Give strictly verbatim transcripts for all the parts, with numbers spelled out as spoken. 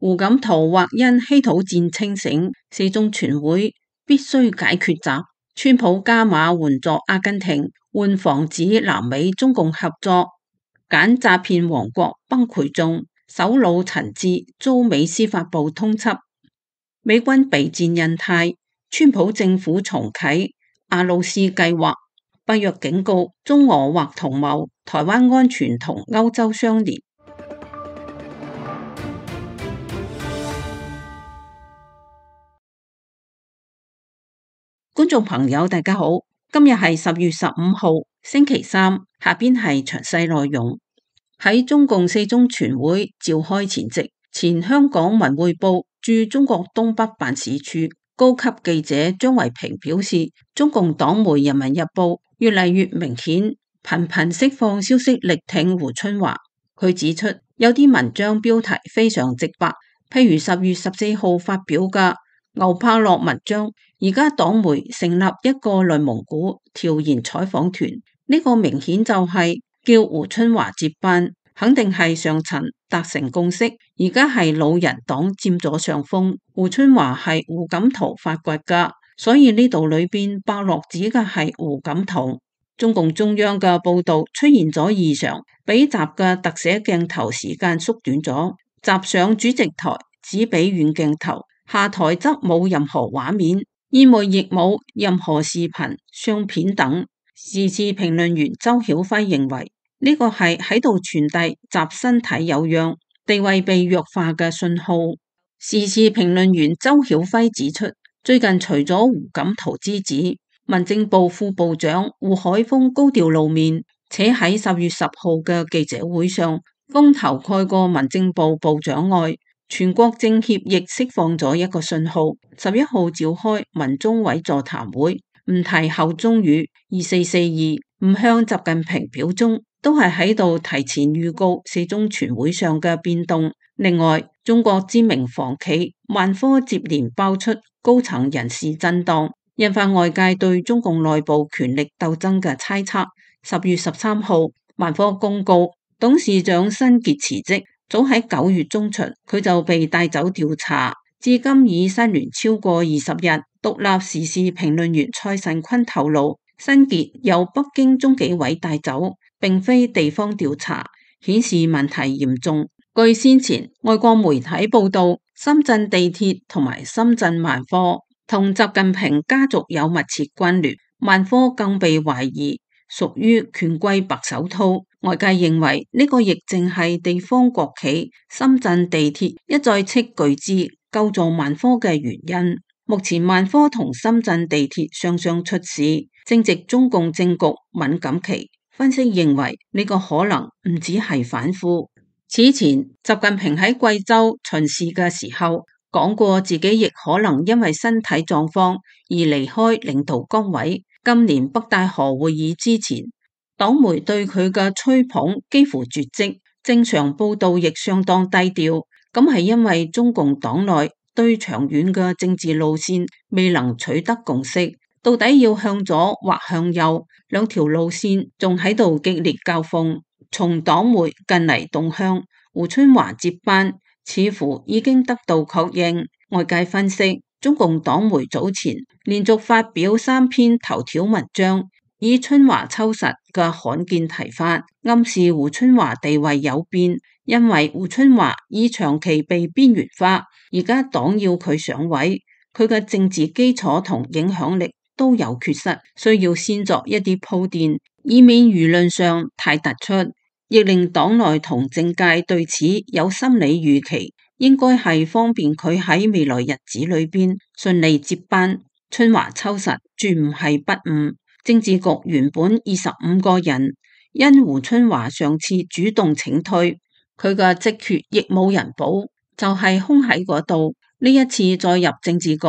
胡錦濤或因稀土戰清醒，四中全會必須解決習。川普加碼援助阿根廷，換防止南美中共合作，揀詐騙王國崩潰中，首腦陳志遭美司法部通緝。美軍備戰印太，川普政府重啟阿魯斯計劃。北約警告中俄或同謀，台灣安全同歐洲相連。觀眾朋友大家好，今日係十月十五號星期三，下邊係詳細內容。喺中共四中全會召開前夕，前香港文匯報駐中國東北辦事處高級記者張維平表示，中共黨媒《人民日報》越嚟越明顯，頻頻釋放消息力挺胡春華。佢指出，有啲文章標題非常直白，譬如十月十四號發表嘅牛柏樂文章，而家黨媒成立一個內蒙古調研採訪團，呢、這個明顯就係叫胡春華接班，肯定係上層達成共識，而家係老人黨佔咗上風，胡春華係胡錦濤發掘噶，所以呢度裏邊伯樂指嘅係胡錦濤。中共中央嘅報道出現咗異常，比習嘅特寫鏡頭時間縮短咗，習上主席台只俾遠鏡頭，下台則冇任何畫面，宴會亦冇任何視頻、相片等。時事評論員周曉輝認為呢、這個係喺度傳遞習身體有恙、地位被弱化嘅信號。時事評論員周曉輝指出，最近除咗胡錦濤之子，民政部副部長胡海峰高調露面，且喺十月十號嘅記者會上風頭蓋過民政部部長外，全國政協亦釋放咗一個信號，十一號召開民中委座談會，唔提後中語二四四二，唔向習近平表忠，都係喺度提前預告四中全會上嘅變動。另外，中國知名房企萬科接連爆出高層人事震盪，引發外界對中共內部權力鬥爭嘅猜測。十月十三號，萬科公告董事長辛傑辭職，早喺九月中旬佢就被帶走調查，至今已失聯超過二十日。獨立時事評論員蔡慎坤透露，辛傑由北京中紀委帶走，並非地方調查，顯示問題嚴重。據先前外國媒體報道，深圳地鐵同埋深圳萬科同習近平家族有密切關聯，萬科更被懷疑屬於權貴白手套。外界認為呢個亦正係地方國企深圳地鐵一再斥巨資救助萬科嘅原因。目前萬科同深圳地鐵雙雙出事，正值中共政局敏感期。分析認為呢個可能唔只係反腐。此前習近平喺貴州巡視嘅時候講過，自己亦可能因為身體狀況而離開領導崗位。今年北戴河會議之前，黨媒對佢嘅吹捧幾乎絕跡，正常報道亦相當低調。咁係因為中共黨內對長遠嘅政治路線未能取得共識，到底要向左或向右，兩條路線仲喺度激烈交鋒。從黨媒近嚟動向，胡春華接班似乎已經得到確認。外界分析，中共黨媒早前連續發表三篇頭條文章，以春華秋實嘅罕見提法，暗示胡春華地位有變。因為胡春華已長期被邊緣化，而家黨要佢上位，佢嘅政治基礎同影響力都有缺失，需要先作一啲鋪墊，以免輿論上太突出，亦令黨內同政界對此有心理預期，應該係方便佢喺未來日子裏邊順利接班。春華秋實絕唔係不誤，政治局原本二十五個人，因胡春華上次主動請退，佢嘅職缺亦冇人補，就係、是、空喺嗰度。呢一次再入政治局，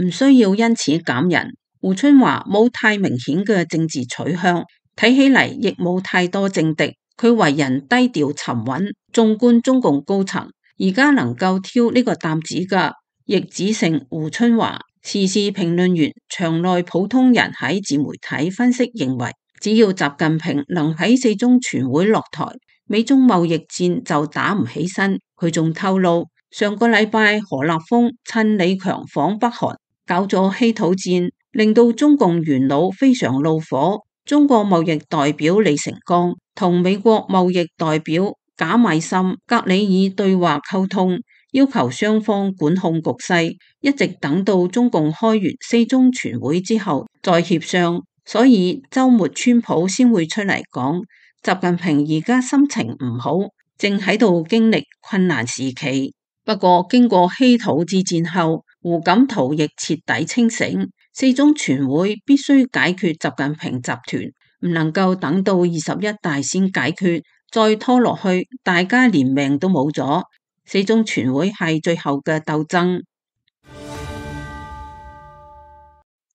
唔需要因此減人。胡春華冇太明顯嘅政治取向，睇起嚟亦冇太多政敵。佢為人低調沉穩，縱觀中共高層，而家能夠挑呢個擔子嘅，亦只剩胡春華。時事評論員場內普通人喺自媒體分析認為，只要習近平能喺四中全會落台，美中貿易戰就打唔起身。佢仲透露，上個禮拜何立峰趁李強訪北韓，搞咗稀土戰，令到中共元老非常怒火。中國貿易代表李成鋼同美國貿易代表賈米森格里爾對話溝通，要求雙方管控局勢，一直等到中共開完四中全會之後再協商。所以週末川普先會出嚟講，習近平而家心情唔好，正喺度經歷困難時期。不過經過稀土之戰後，胡錦濤亦徹底清醒，四中全會必須解決習近平集團，唔能夠等到二十一大先解決，再拖落去，大家連命都冇咗。四中全會係最後嘅鬥爭。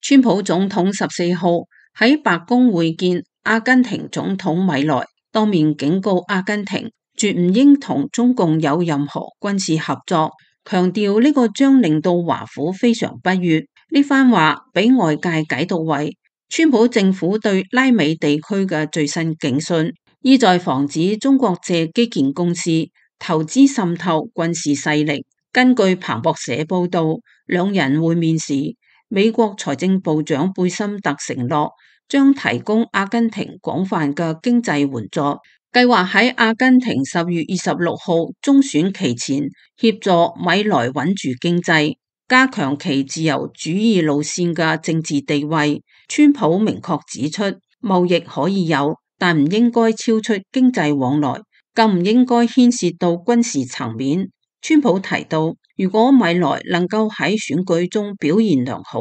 川普總統十四號喺白宮會見阿根廷總統米萊，當面警告阿根廷絕唔應同中共有任何軍事合作，強調呢個將令到華府非常不悅。呢番話俾外界解讀為川普政府對拉美地區嘅最新警訊，意在防止中國借基建公司投資滲透軍事勢力。根據彭博社報道，兩人會面時，美國財政部長貝森特承諾將提供阿根廷廣泛嘅經濟援助，計劃喺阿根廷十月二十六號中選期前協助米萊穩住經濟，加強其自由主義路線嘅政治地位。川普明確指出，貿易可以有，但唔應該超出經濟往來，更唔應該牽涉到軍事層面。川普提到，如果米萊能夠喺選舉中表現良好，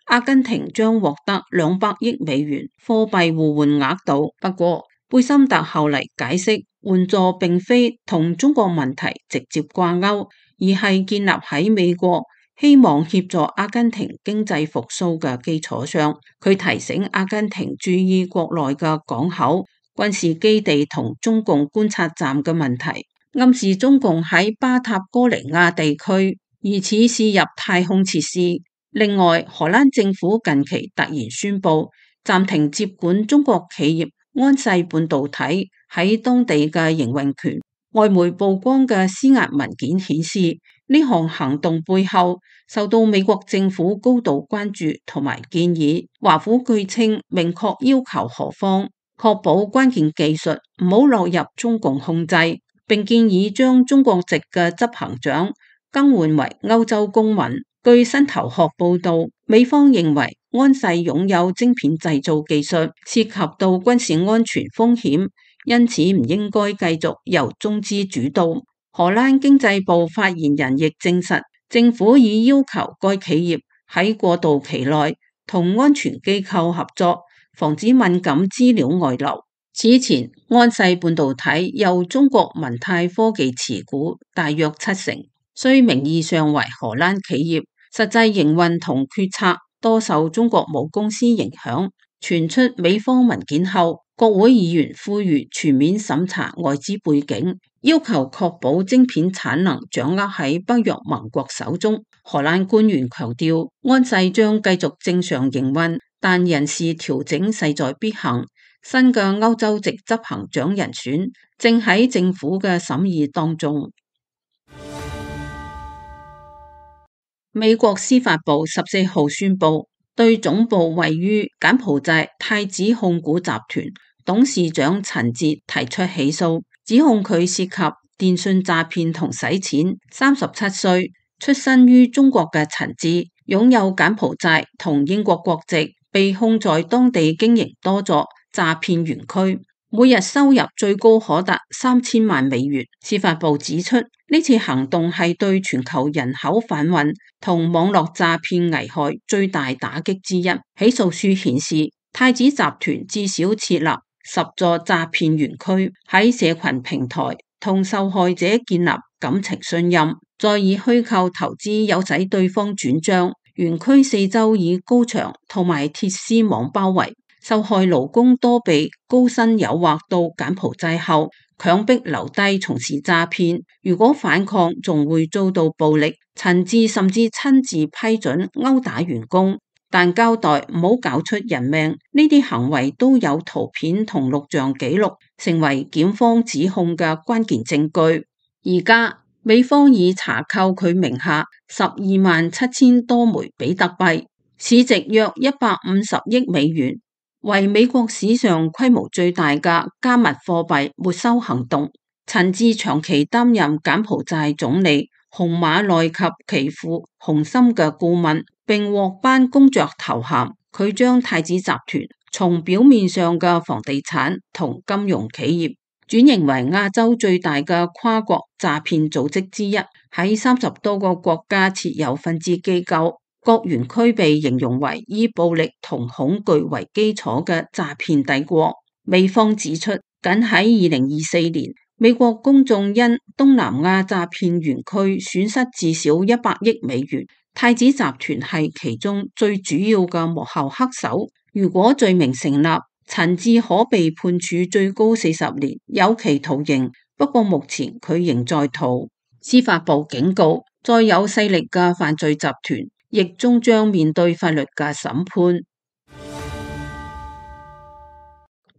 阿根廷將獲得兩百億美元貨幣互換額度。不過，貝森特後嚟解釋，援助並非同中國問題直接掛鈎，而係建立喺美國希望協助阿根廷經濟復甦嘅基礎上。佢提醒阿根廷注意國內嘅港口、軍事基地同中共觀察站嘅問題，暗示中共喺巴塔哥尼亞地區疑似試入太空設施。另外，荷蘭政府近期突然宣布暫停接管中國企業安世半導體喺當地嘅營運權。外媒曝光嘅施壓文件顯示，呢項行動背後受到美國政府高度關注同埋建議。華府據稱明確要求荷方確保關鍵技術唔好落入中共控制，並建議將中國籍嘅執行長更換為歐洲公民。據新頭殼報道，美方認為安世擁有晶片製造技術，涉及到軍事安全風險，因此唔應該繼續由中資主導。荷蘭經濟部發言人亦證實，政府已要求該企業喺過渡期內同安全機構合作，防止敏感資料外流。此前，安世半導體由中國文泰科技持股大約七成，雖名義上為荷蘭企業，實際營運同決策多受中國母公司影響。傳出美方文件後，國會議員呼籲全面審查外資背景，要求確保晶片產能掌握喺北約盟國手中。荷蘭官員強調，安世將繼續正常營運，但人事調整勢在必行。新嘅歐洲籍執行長人選正喺政府嘅審議當中。美國司法部十四號宣布，對總部位於柬埔寨太子控股集團董事長陳哲提出起訴，指控佢涉及電信詐騙同洗錢。三十七歲，出身於中國嘅陳哲，擁有柬埔寨同英國國籍，被控在當地經營多座詐騙園區，每日收入最高可達三千萬美元。司法部指出，呢次行動係對全球人口販運同網絡詐騙危害最大打擊之一。起訴書顯示，太子集團至少設立十座詐騙園區，喺社群平台同受害者建立感情信任，再以虛構投資誘使對方轉賬。園區四周以高牆同埋鐵絲網包圍，受害勞工多被高薪誘惑到柬埔寨後，強迫留低從事詐騙，如果反抗仲會遭到暴力。陳志甚至親自批准毆打員工，但交代唔好搞出人命。呢啲行為都有圖片同錄像記錄，成為檢方指控嘅關鍵證據。而家美方已查扣佢名下十二萬七千多枚比特幣，市值約一百五十億美元，為美國史上規模最大嘅加密貨幣沒收行動。陳志長期擔任柬埔寨總理洪馬內及其父洪森嘅顧問，並獲頒公爵頭銜。佢將太子集團從表面上嘅房地產同金融企業轉型為亞洲最大嘅跨國詐騙組織之一，喺三十多個國家設有分支機構。各園區被形容為以暴力同恐懼為基礎嘅詐騙帝國。美方指出，僅喺二零二四年，美國公眾因東南亞詐騙園區損失至少一百億美元，太子集團係其中最主要嘅幕後黑手。如果罪名成立，陳志可被判處最高四十年有期徒刑。不過目前佢仍在逃。司法部警告，再有勢力嘅犯罪集團亦終將面對法律嘅審判。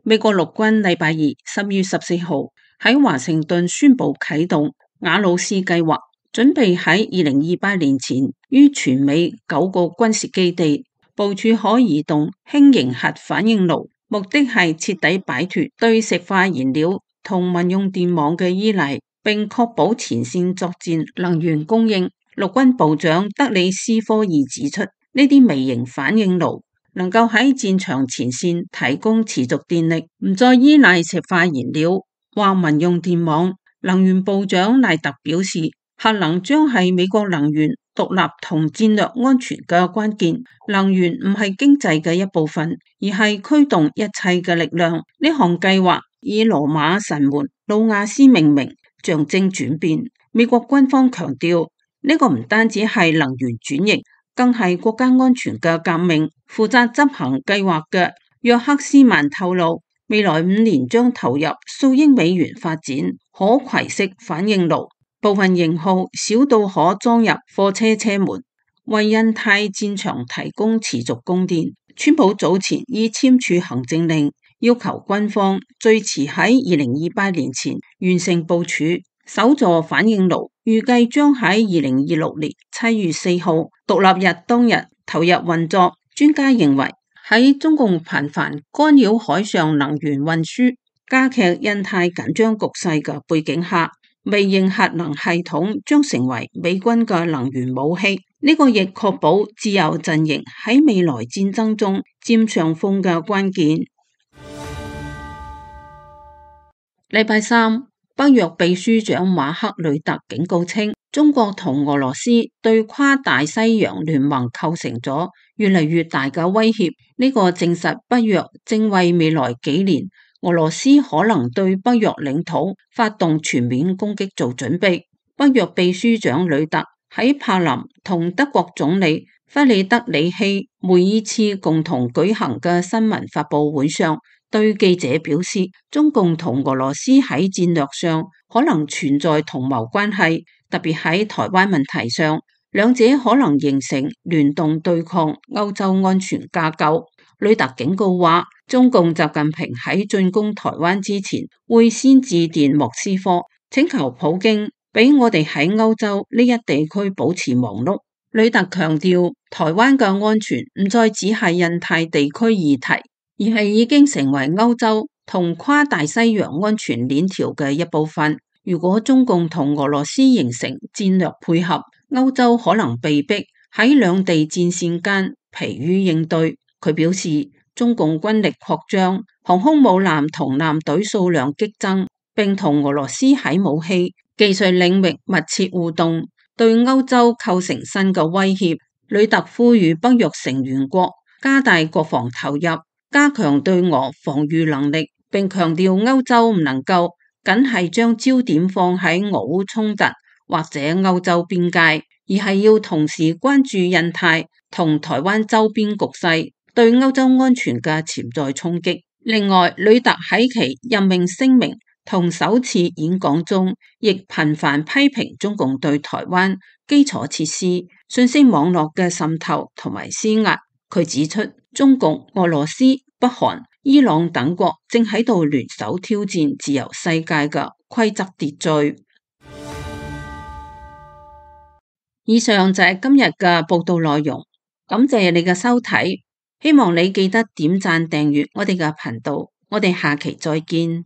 美國陸軍禮拜二十月十四號喺華盛頓宣布啟動瓦魯斯計劃，準備喺二零二八年前於全美九個軍事基地部署可移動輕型核反應爐，目的係徹底擺脫對石化燃料同民用電網嘅依賴，並確保前線作戰能源供應。陸軍部長德里斯科爾指出，呢啲微型反應爐能夠喺戰場前線提供持續電力，唔再依賴石化燃料或民用電網。能源部長賴特表示，核能將係美國能源獨立同戰略安全嘅關鍵。能源唔係經濟嘅一部分，而係驅動一切嘅力量。呢項計劃以羅馬神門魯亞斯命名，象徵轉變。美國軍方強調，呢個唔單止係能源轉型，更係國家安全嘅革命。負責執行計劃嘅約克斯曼透露，未來五年將投入數億美元發展可攜式反應爐，部分型號小到可裝入貨車車門，為印太戰場提供持續供電。川普早前已簽署行政令，要求軍方最遲喺二零二八年前完成部署。首座反應爐預計將喺二零二六年七月四號獨立日當日投入運作。專家認為，喺中共頻繁干擾海上能源運輸、加劇印太緊張局勢嘅背景下，微型核能系統將成為美軍嘅能源武器。呢個亦確保自由陣營喺未來戰爭中佔上風嘅關鍵。禮拜三，北約秘書長馬克呂特警告稱，中國同俄羅斯對跨大西洋聯盟構成咗越嚟越大嘅威脅。呢個證實北約正為未來幾年俄羅斯可能對北約領土發動全面攻擊做準備。北約秘書長呂特喺柏林同德國總理弗里德里希梅爾茨共同舉行嘅新聞發佈會上，對記者表示，中共同俄羅斯喺戰略上可能存在同謀關係，特別喺台灣問題上，兩者可能形成聯動對抗歐洲安全架構。呂特警告話，中共習近平喺進攻台灣之前，會先致電莫斯科，請求普京俾我哋喺歐洲呢一地區保持忙碌。呂特強調，台灣嘅安全唔再只係印太地區議題，而係已經成為歐洲同跨大西洋安全鏈條嘅一部分。如果中共同俄羅斯形成戰略配合，歐洲可能被逼喺兩地戰線間疲於應對。佢表示，中共軍力擴張，航空母艦同艦隊數量激增，並同俄羅斯喺武器、技術領域密切互動，對歐洲構成新嘅威脅。呂特呼籲北約成員國加大國防投入，加強對俄防禦能力，並強調歐洲唔能夠僅係將焦點放喺俄烏衝突或者歐洲邊界，而係要同時關注印太同台灣周邊局勢對歐洲安全嘅潛在衝擊。另外，呂特喺其任命聲明同首次演講中，亦頻繁批評中共對台灣基礎設施、信息網絡嘅滲透同埋施壓。佢指出，中共、俄羅斯、北韓、伊朗等國正喺度聯手挑戰自由世界嘅規則秩序。以上就係今日嘅報道內容，感謝你嘅收睇，希望你記得點讚訂閱我哋嘅頻道，我哋下期再見。